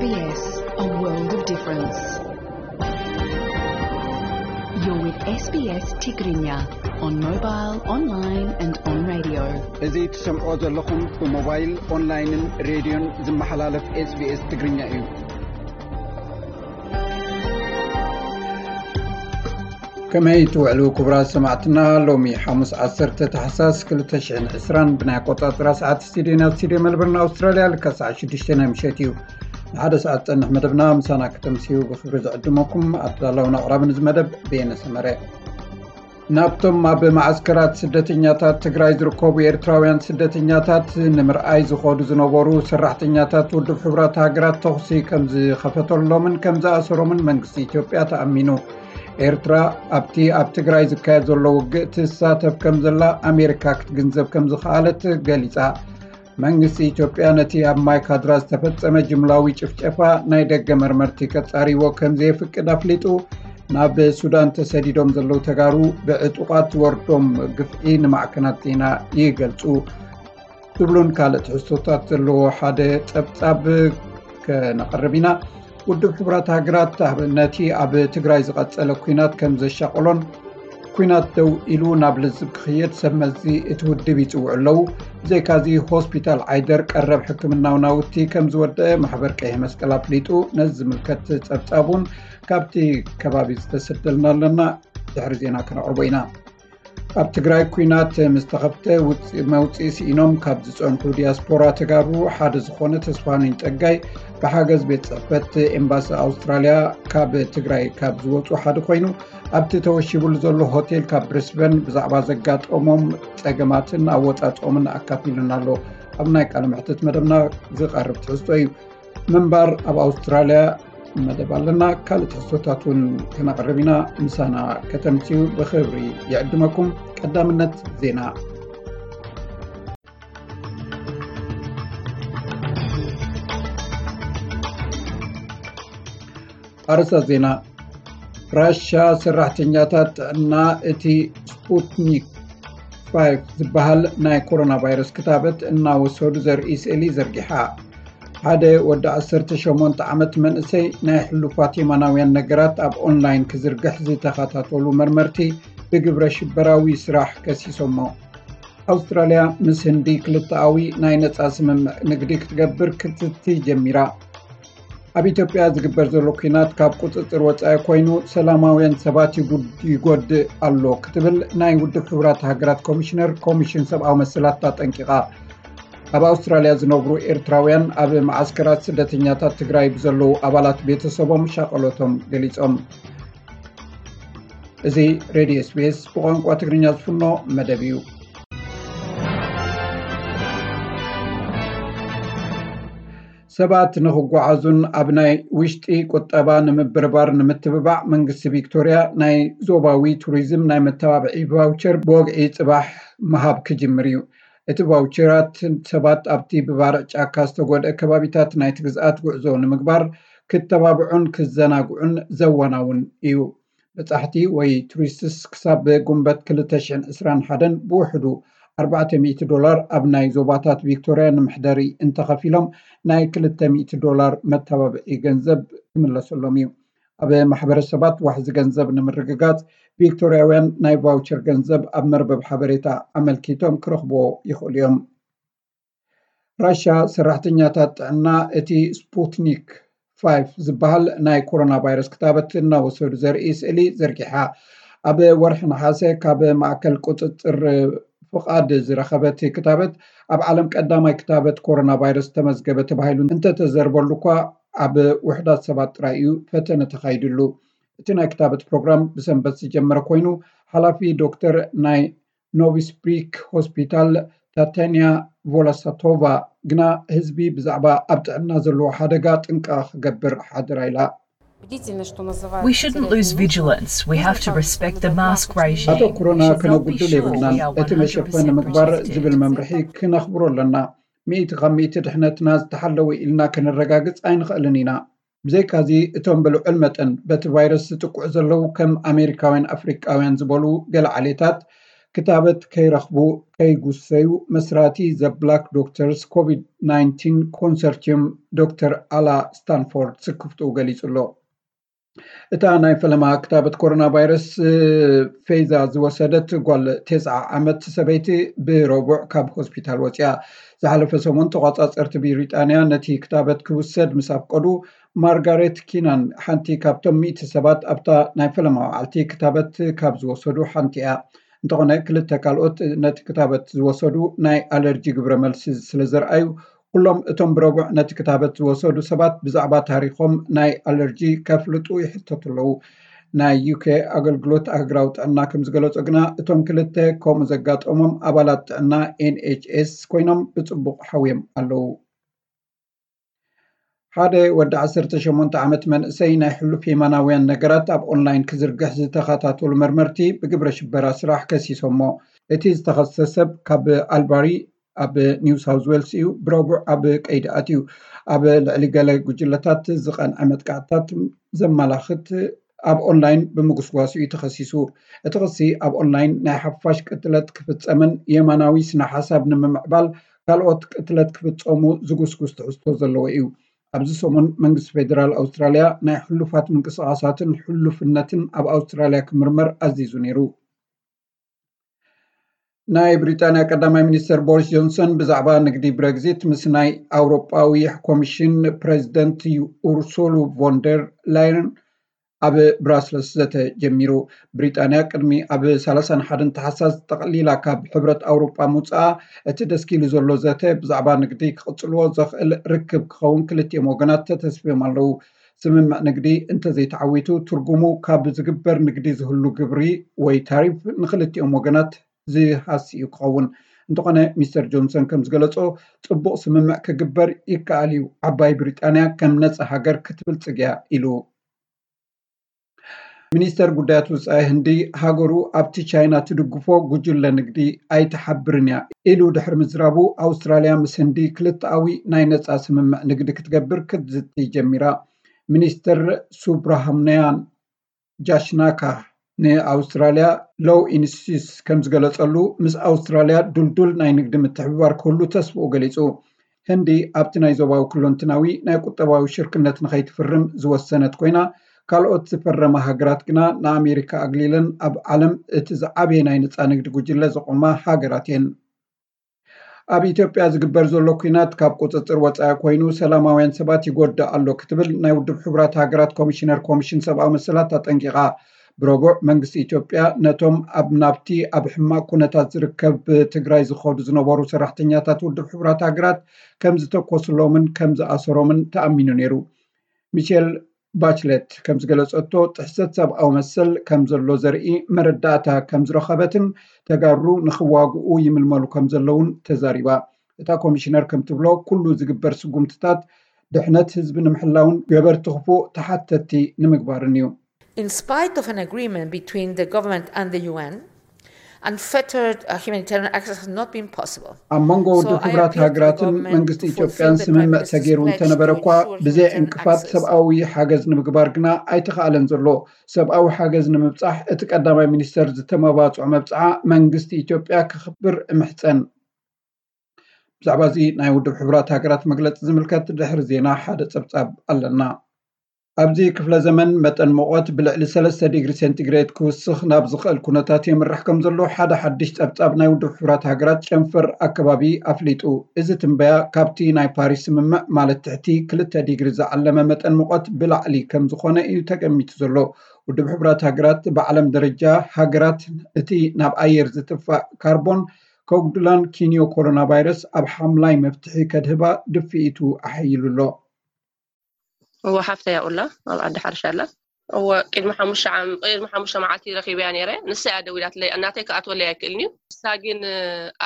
S B S, a world of difference. You're with S B S Tigrinya on mobile, online and on radio. እዚ ትሰምዖ ዘለኹም ብሞባይል፣ ኦንላይንን ሬድዮን ዝመሓላለፍ S B S ትግርኛ እዩ። ከመይ ትውዕሉ ክቡራት ሰማዕትና? ሎሚ ሓሙስ ዓሰርተ ታሕሳስ ክልተ ሽሕን ዕስራን ብናይ ኣቆጻጽራ ሰዓት ስቱድዮና ስቱድዮ መልበርን ኣውስትራልያ ልካ ሰዓት ሽዱሽተ ናይ ምሸት እዩ። ንሓደ ሰዓት ዝጸንሕ መደብና ምሳና ከተምስዩ ብኽብሪ ዝዕድመኩም ኣዳላውን ኣቕራብን እዚ መደብ በየነ ሰመረ። ናብቶም ኣብ መዓስከራት ስደተኛታት ትግራይ ዝርከቡ ኤርትራውያን ስደተኛታት ንምርኣይ ዝኸዱ ዝነበሩ ሰራሕተኛታት ውድብ ሕቡራት ሃገራት ተኹሲ ከም ዝኸፈተሎምን ከም ዝኣሰሮምን መንግስቲ ኢትዮጵያ ተኣሚኑ። ኤርትራ ኣብቲ ኣብ ትግራይ ዝካየድ ዘሎ ውግእ ትሳተፍ ከም ዘላ ኣሜሪካ ክትግንዘብ ከም ዝኸኣለት ገሊጻ። መንግስቲ ኢትዮጵያ ነቲ ኣብ ማይካድራ ዝተፈጸመ ጅምላዊ ጭፍጨፋ ናይ ደገ መርመርቲ ከጻርይዎ ከም ዘየፍቅድ ኣፍሊጡ። ናብ ሱዳን ተሰዲዶም ዘለዉ ተጋሩ ብዕጡቓት ዝወርዶም ግፍዒ ንማዕከናት ዜና ይገልጹ። ዝብሉን ካልእ ትሕዝቶታት ዘለዎ ሓደ ጸብጻብ ከነቕርብ ኢና። ውድብ ሕቡራት ሃገራት ኣብ፣ ነቲ ኣብ ትግራይ ዝቐጸለ ኲናት ከም ዘሻቐሎን፣ ኲናት ደው ኢሉ ናብ ልዝብ ክኽየድ ሰብ መዚ እቲ ውድብ ይጽውዑ ኣለዉ። ብዘይካዚ ሆስፒታል ዓይደር ቀረብ ሕክምናዊ ናውቲ ከም ዝወደአ ማሕበር ቀይሕ መስቀል ኣፍሊጡ። ነዚ ዝምልከት ጸብጻብ እውን ካብቲ ከባቢ ዝተሰደልና ኣለና። ድሕሪ ዜና ከነቕርቦ ኢና። ኣብ ትግራይ ኲናት ምስ ተኸፍተ ውፅ-፣ መውፅኢ ስኢኖም ካብ ዝፀንሑ ዲያስፖራ ተጋሩ ሓደ ዝኾነ ተስፋነኝ ፀጋይ ብሓገዝ ቤት ፅሕፈት ኤምባሲ ኣውስትራልያ ካብ ትግራይ ካብ ዝወፁ ሓደ ኮይኑ፣ ኣብቲ ተወሺቡሉ ዘሎ ሆቴል ካብ ብሪስበን ብዛዕባ ዘጋጠሞም ፀገማትን ኣወፃፅኦምን ኣካፊሉና ኣሎ። ኣብ ናይ ቃለ መሕትት መደብና ዝቐርብ ትሕዝቶ እዩ። ምንባር ኣብ ኣውስትራልያ መደብ ኣለና። ካልእ ትሕዝቶታት እውን ከነቕርብ ኢና። ምሳና ከተምፅኡ ብኽብሪ ይዕድመኩም። ቀዳምነት ዜና። ኣርእስታት ዜና። ራሻ ሰራሕተኛታት ጥዕና እቲ ስፑትኒክ ፋይቭ ዝበሃል ናይ ኮሮና ቫይረስ ክታበት እናወሰዱ ዘርኢ ስእሊ ዘርጊሓ። ሓደ ወዲ ዓሰርተ ሸሞንተ ዓመት መንእሰይ ናይ ሕሉፋት የማናውያን ነገራት ኣብ ኦንላይን ክዝርግሕ ዝተኸታተሉ መርመርቲ ብግብረ ሽበራዊ ስራሕ ከሲሶሞ። ኣውስትራልያ ምስ ህንዲ ክልተኣዊ ናይ ነጻ ስምምዕ ንግዲ ክትገብር ክትቲ ጀሚራ። ኣብ ኢትዮጵያ ዝግበር ዘሎ ኲናት ካብ ቁጽጽር ወጻኢ ኮይኑ ሰላማውያን ሰባት ይጉድ-፣ ይጎድእ ኣሎ ክትብል ናይ ውድብ ሕቡራት ሃገራት ኮሚሽነር ኮሚሽን ሰብኣዊ መሰላት ኣጠንቂቓ። ኣብ ኣውስትራልያ ዝነብሩ ኤርትራውያን ኣብ መዓስከራት ስደተኛታት ትግራይ ብዘለዉ ኣባላት ቤተሰቦም ሻቐሎቶም ገሊጾም። እዚ ሬድዮ S B S ብቋንቋ ትግርኛ ዝፍኖ መደብ እዩ። ሰባት ንኽጓዓዙን ኣብ ናይ ውሽጢ ቁጠባ ንምብርባር ንምትብባዕ መንግስቲ ቪክቶርያ ናይ ዞባዊ ቱሪዝም ናይ መተባብዒ ቫውቸር ብወግዒ ጽባሕ ምሃብ ክጅምር እዩ። እቲ ቫውቸራት ሰባት ኣብቲ ብባርዕ ጫካ ዝተጎድአ ከባቢታት ናይቲ ግዝኣት ጉዕዞ ንምግባር ክተባብዑን ክዘናግዑን ዘወናውን እዩ። በጻሕቲ ወይ ቱሪስትስ ክሳብ ጉንበት ክልተ ሽሕን ዕስራን ሓደን ብውሕዱ ኣርባዕተ ሚእቲ ዶላር ኣብ ናይ ዞባታት ቪክቶርያ ንምሕደሪ እንተኸፊሎም ናይ ክልተ ሚእቲ ዶላር መተባብዒ ገንዘብ ክምለሰሎም እዩ። ኣብ ማሕበረሰባት ዋሕዚ ገንዘብ ንምርግጋጽ ቪክቶርያውያን ናይ ቫውቸር ገንዘብ ኣብ መርበብ ሓበሬታ ኣመልኪቶም ክረኽብዎ ይኽእሉ እዮም። ራሻ ሰራሕተኛታት ጥዕና እቲ ስፑትኒክ ፋይቭ ዝበሃል ናይ ኮሮና ቫይረስ ክታበት እናወሰዱ ዘርኢ ስእሊ ዘርጊሓ። ኣብ ወርሒ ነሓሰ ካብ ማእከል ቁጽጽር ፍቓድ ዝረኸበት ክታበት ኣብ ዓለም ቀዳማይ ክታበት ኮሮና ቫይረስ ተመዝገበ ተባሂሉ እንተተዘርበሉ እኳ ኣብ ውሑዳት ሰባት ጥራይ እዩ ፈተነ ተኻይድሉ። እቲ ናይ ክታበት ፕሮግራም ብሰንበት ዝጀመረ ኮይኑ ሓላፊ ዶክተር ናይ ኖቪስብሪክ ሆስፒታል ታታንያ ቮላሳቶቫ ግና ህዝቢ ብዛዕባ ኣብ ጥዕና ዘለዎ ሓደጋ ጥንቃ ክገብር ሓደራ ኢላ። We shouldn't lose vigilance. We have to respect the mask regime. ኣቶ ኮሮና ከነጉድል የብልናን። እቲ መሸፈኒ ምግባር ዝብል መምርሒ ክነኽብሮ ኣለና። ሚእቲ ካብ ሚእቲ ድሕነትና ዝተሓለወ ኢልና ከነረጋግጽ ኣይንኽእልን ኢና። ብዘይካዚ እቶም ብልዑል መጠን በቲ ቫይረስ ዝጥቅዑ ዘለዉ ከም ኣሜሪካውያን ኣፍሪቃውያን ዝበሉ ገለ ዓሌታት ክታበት ከይረኽቡ ከይጉሰዩ መስራቲ ዘ ብላክ ዶክተርስ ኮቪድ ናይንቲን ኮንሰርቲዩም ዶክተር ኣላ ስታንፎርድ ስክፍትኡ ገሊጹ ኣሎ። እታ ናይ ፈለማ ክታበት ኮሮና ቫይረስ ፌዛ ዝወሰደት ጓል ተስዓ ዓመት ሰበይቲ ብረቡዕ ካብ ሆስፒታል ወፂኣ። ዝሓለፈ ሰሙን ተቋፃፀርቲ ብሪጣንያ ነቲ ክታበት ክውሰድ ምስ ኣፍቀዱ፣ ማርጋሬት ኪናን ሓንቲ ካብቶም ሚእቲ ሰባት ኣብታ ናይ ፈለማ መዓልቲ ክታበት ካብ ዝወሰዱ ሓንቲ እያ። እንተኾነ ክልተ ካልኦት ነቲ ክታበት ዝወሰዱ ናይ ኣለርጂ ግብረ መልሲ ስለ ዘርኣዩ፣ ኩሎም እቶም ብረቡዕ ነቲ ክታበት ዝወሰዱ ሰባት ብዛዕባ ታሪኾም ናይ ኣለርጂ ከፍልጡ ይሕተቱ ኣለዉ። ናይ ዩኬ ኣገልግሎት ኣህግራዊ ጥዕና ከም ዝገለጾ ግና፣ እቶም ክልተ ከምኡ ዘጋጠሞም ኣባላት ጥዕና ኤንኤችኤስ ኮይኖም ብጽቡቕ ሓውዮም ኣለዉ። ሓደ ወዲ ዓሰርተ ሸሞንተ ዓመት መንእሰይ ናይ ሕሉፍ የማናውያን ነገራት ኣብ ኦንላይን ክዝርግሕ ዝተኸታተሉ መርመርቲ ብግብረ ሽበራ ስራሕ ከሲሶሞ። እቲ ዝተኸሰሰ ሰብ ካብ ኣልባሪ ኣብ ኒው ሳውዝ ዌልስ እዩ ብረቡዕ ኣብ ቀይዲ ኣትዩ። ኣብ ልዕሊ ገለ ጉጅለታት ዝቐንዐ መጥቃዕትታት ዘመላኽት ኣብ ኦንላይን ብምጉስጓሱ እዩ ተኸሲሱ። እቲ ክሲ ኣብ ኦንላይን ናይ ሓፋሽ ቅትለት ክፍጸምን የማናዊ ስነ ሓሳብ ንምምዕባል ካልኦት ቅትለት ክፍጸሙ ዝጉስጉስ ትሕዝቶ ዘለዎ እዩ። ኣብዚ ሰሙን መንግስቲ ፌደራል ኣውስትራልያ ናይ ሕሉፋት ምንቅስቓሳትን ሕሉፍነትን ኣብ ኣውስትራልያ ክምርመር ኣዚዙ ነይሩ። ናይ ብሪጣንያ ቀዳማይ ሚኒስተር ቦሪስ ጆንሰን ብዛዕባ ንግዲ ብረግዚት ምስ ናይ ኣውሮጳዊ ኮሚሽን ፕሬዚደንት ኡርሱሉ ቮንደር ላየን ኣብ ብራስለስ ዘተ ጀሚሩ። ብሪጣንያ ቅድሚ ኣብ ሰላሳን ሓደን ተሓሳስ ጠቕሊላ ካብ ሕብረት ኣውሮጳ ምውፅኣ፣ እቲ ደስኪሉ ዘሎ ዘተ ብዛዕባ ንግዲ ክቕፅልዎ ዘኽእል ርክብ ክኸውን ክልቲኦም ወገናት ተተስፍዮም ኣለዉ። ስምምዕ ንግዲ እንተዘይተዓዊቱ፣ ትርጉሙ ካብ ዝግበር ንግዲ ዝህሉ ግብሪ ወይ ታሪፍ ንክልቲኦም ወገናት ዝሃሲ እዩ ክኸውን። እንተኾነ፣ ሚስተር ጆንሰን ከም ዝገለጾ፣ ጽቡቕ ስምምዕ ክግበር ይከኣል እዩ፣ ዓባይ ብሪጣንያ ከም ነጻ ሃገር ክትብልጽግ እያ ኢሉ። ሚኒስተር ጉዳያት ወጻኢ ህንዲ፣ ሃገሩ ኣብቲ ቻይና ትድግፎ ጉጅለ ንግዲ ኣይትሓብርን እያ ኢሉ ድሕሪ ምዝራቡ፣ ኣውስትራልያ ምስ ህንዲ ክልተኣዊ ናይ ነጻ ስምምዕ ንግዲ ክትገብር ክትዝቲ ጀሚራ። ሚኒስተር ሱብራሃምንያን ጃሽናካ ንኣውስትራልያ ሎው ኢንስቲትዩትስ ከም ዝገለጸሉ፣ ምስ ኣውስትራልያ ድልዱል ናይ ንግዲ ምትሕብባር ክህሉ ተስፍኡ ገሊጹ። ህንዲ ኣብቲ ናይ ዞባዊ ኩለንትናዊ ናይ ቁጠባዊ ሽርክነት ንኸይትፍርም ዝወሰነት ኮይና፣ ካልኦት ዝፈረማ ሃገራት ግና ንኣሜሪካ ኣግሊለን ኣብ ዓለም እቲ ዝዓበየ ናይ ነጻ ንግዲ ጉጅለ ዘቖማ ሃገራት እየን። ኣብ ኢትዮጵያ ዝግበር ዘሎ ኲናት ካብ ቁጽጽር ወጻኢ ኮይኑ ሰላማውያን ሰባት ይጎድእ ኣሎ ክትብል ናይ ውድብ ሕቡራት ሃገራት ኮሚሽነር ኮሚሽን ሰብኣዊ መሰላት ኣጠንቂቓ። ብረቡዕ መንግስቲ ኢትዮጵያ ነቶም ኣብ ናብቲ ኣብ ሕማቕ ኩነታት ዝርከብ ትግራይ ዝኸዱ ዝነበሩ ሰራሕተኛታት ውድብ ሕቡራት ሃገራት ከም ዝተኮስሎምን ከም ዝኣሰሮምን ተኣሚኑ ነይሩ። ሚሼል ባችለት ከም ዝገለጸቶ፣ ጥሕሰት ሰብኣዊ መሰል ከም ዘሎ ዘርኢ መረዳእታ ከም ዝረኸበትን ተጋሩ ንኽዋግኡ ይምልመሉ ከም ዘለውን ተዛሪባ። እታ ኮሚሽነር ከም ትብሎ፣ ኩሉ ዝግበር ስጉምትታት ድሕነት ህዝቢ ንምሕላውን ገበርቲ ክፉእ ተሓተትቲ ንምግባርን እዩ። In spite of an agreement between the government and the U N, unfettered uh, humanitarian access has not been possible. ኣብ መንጎ ውድብ ሕቡራት ሃገራትን መንግስቲ ኢትዮጵያን ስምምዕ ተገይሩ እንተነበረ እኳ፣ ብዘይ ዕንቅፋት ሰብኣዊ ሓገዝ ንምግባር ግና ኣይተኻእለን ዘሎ። ሰብኣዊ ሓገዝ ንምብጻሕ እቲ ቀዳማይ ሚኒስተር ዝተመባጽዖ መብጽዓ መንግስቲ ኢትዮጵያ ከኽብር እምሕጸን። ብዛዕባ እዚ ናይ ውድብ ሕቡራት ሃገራት መግለጺ ዝምልከት ድሕሪ ዜና ሓደ ጸብጻብ ኣለና። ኣብዚ ክፍለ ዘመን መጠን ሙቐት ብልዕሊ ሰለስተ ዲግሪ ሴንቲግሬድ ክውስኽ ናብ ዝኽእል ኩነታት የምርሕ ከም ዘሎ ሓደ ሓድሽ ጸብጻብ ናይ ውድብ ሕቡራት ሃገራት ጨንፈር ኣከባቢ ኣፍሊጡ። እዚ ትንበያ ካብቲ ናይ ፓሪስ ስምምዕ ማለት ትሕቲ ክልተ ዲግሪ ዝዓለመ መጠን ሙቐት ብላዕሊ ከም ዝኾነ እዩ ተገሚቱ ዘሎ። ውድብ ሕቡራት ሃገራት ብዓለም ደረጃ ሃገራት እቲ ናብ ኣየር ዝጥፋእ ካርቦን ከጉድላን ኪንዮ ኮሮና ቫይረስ ኣብ ሓምላይ መፍትሒ ከድህባ ድፍኢቱ ኣሐይሉ ኣሎ። እወ ሓፍተይ ኣብኡ ኣላ ኣብ ዓዲ ሓርሻ ኣላ። እወ ቅድሚ ሓሙሽተ ዓም ቅድሚ ሓሙሽተ መዓልቲ ረኺበያ ነይረ። ንሳ እያ ደዊላትለይ፣ እናተይ ክኣትወለይ ኣይክእልን እዩ። ንሳ ግን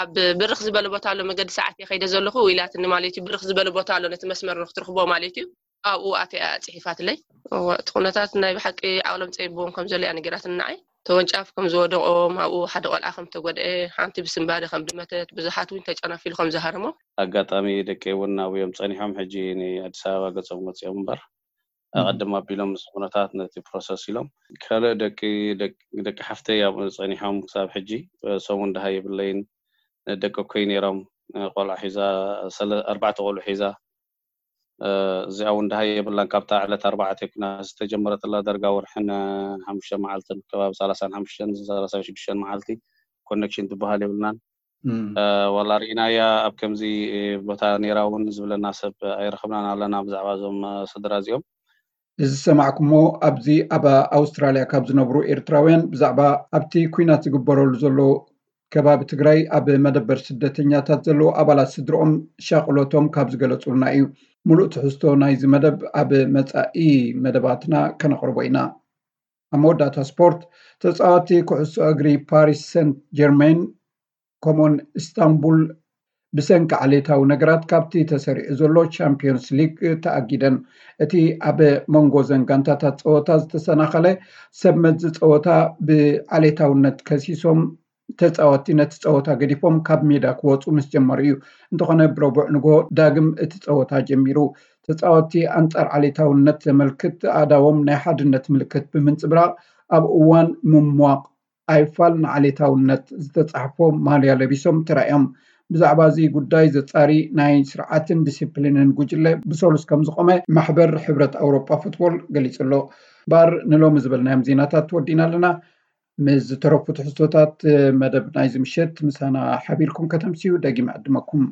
ኣብ ብርኽ ዝበለ ቦታ ኣሎ መገዲ ሰዓት እየ ከይደ ዘለኹ ኢላትኒ ማለት እዩ። ብርኽ ዝበለ ቦታ ኣሎ ነቲ መስመር ንክትረኽቦ ማለት እዩ። ኣብኡ ኣትያ እያ ፅሒፋትለይ። እወ እቲ ኩነታት ናይ ብሓቂ ዓቕሎም ፀቢብዎም ከም ዘሎ እያ ነጊራትኒ ንዓይ። ተወንጫፍ ከም ዝወደቖም ኣብኡ ሓደ ቆልዓ ከም ተጎድአ ሓንቲ ብስንባደ ከም ድመተት ብዙሓት እውን ተጨናፊሉ ከም ዝሃረሞም። ኣጋጣሚ ደቀይ እውን ኣብኡ እዮም ፀኒሖም ሕጂ ንኣዲስ ኣበባ ገፆም ወፂኦም እምበር ኣቐድም ኣቢሎም ምስ ኩነታት ነቲ ፕሮሰስ ኢሎም። ካልእ ደቂ ደቂ ሓፍተይ ኣብኡ ጸኒሖም ክሳብ ሕጂ ሰሙን ደሃ የብለይን። ደቂ እኮይ ነይሮም፣ ቆልዓ ሒዛ፣ ኣርባዕተ ቆልዑ ሒዛ። እዚኣ እውን ደሃ የብላን። ካብታ ዕለት ኣርባዕተ ኩና ዝተጀመረትላ ደርጋ ወርሕን ሓሙሽተ መዓልትን ከባቢ ሰላሳን ሓሙሽተን ሰላሳን ሽዱሽተን መዓልቲ ኮኔክሽን ዝበሃል የብልናን። ዋላ ርኢናያ ኣብ ከምዚ ቦታ ነይራ እውን ዝብለና ሰብ ኣይረኸብናን ኣለና ብዛዕባ እዞም ስድራ እዚኦም። እዚ ዝሰማዕኩሞ ኣብዚ ኣብ ኣውስትራልያ ካብ ዝነብሩ ኤርትራውያን ብዛዕባ ኣብቲ ኩናት ዝግበረሉ ዘሎ ከባቢ ትግራይ ኣብ መደበር ስደተኛታት ዘለዉ ኣባላት ስድርኦም ሻቕሎቶም ካብ ዝገለጹልና እዩ። ሙሉእ ትሕዝቶ ናይዚ መደብ ኣብ መጻኢ መደባትና ከነቕርቦ ኢና። ኣብ መወዳእታ ስፖርት፣ ተጻወቲ ኩዕሶ እግሪ ፓሪስ ሰንት ጀርሜን ከምኡን ኢስታንቡል ብሰንኪ ዓሌታዊ ነገራት ካብቲ ተሰሪዑ ዘሎ ቻምፒዮንስ ሊግ ተኣጊደን። እቲ ኣብ መንጎ ዘን ጋንታታት ጸወታ ዝተሰናኸለ ሰብ መዚ ጸወታ ብዓሌታውነት ከሲሶም ተጻወቲ ነቲ ጸወታ ገዲፎም ካብ ሜዳ ክወጹ ምስ ጀመሩ እዩ። እንተኾነ ብረቡዕ ንግሆ ዳግም እቲ ጸወታ ጀሚሩ። ተጻወቲ ኣንጻር ዓሌታውነት ዘመልክት ኣእዳዎም ናይ ሓድነት ምልክት ብምንጽብራቕ ኣብ እዋን ምሟቕ ኣይፋል ንዓሌታውነት ዝተጻሕፎ ማልያ ለቢሶም ተራእዮም። ብዛዕባ እዚ ጉዳይ ዘጻሪ ናይ ስርዓትን ዲሲፕሊንን ጉጅለ ብሰሉስ ከም ዝቆመ ማሕበር ሕብረት ኣውሮጳ ፉትቦል ገሊጹ ኣሎ። ባር ንሎሚ ዝበልናዮም ዜናታት ወዲና ኣለና። ምስ ዝተረፉ ትሕዝቶታት መደብ ናይዚ ምሸት ምሳና ሓቢርኩም ከተምስዩ ደጊም ዕድመኩም።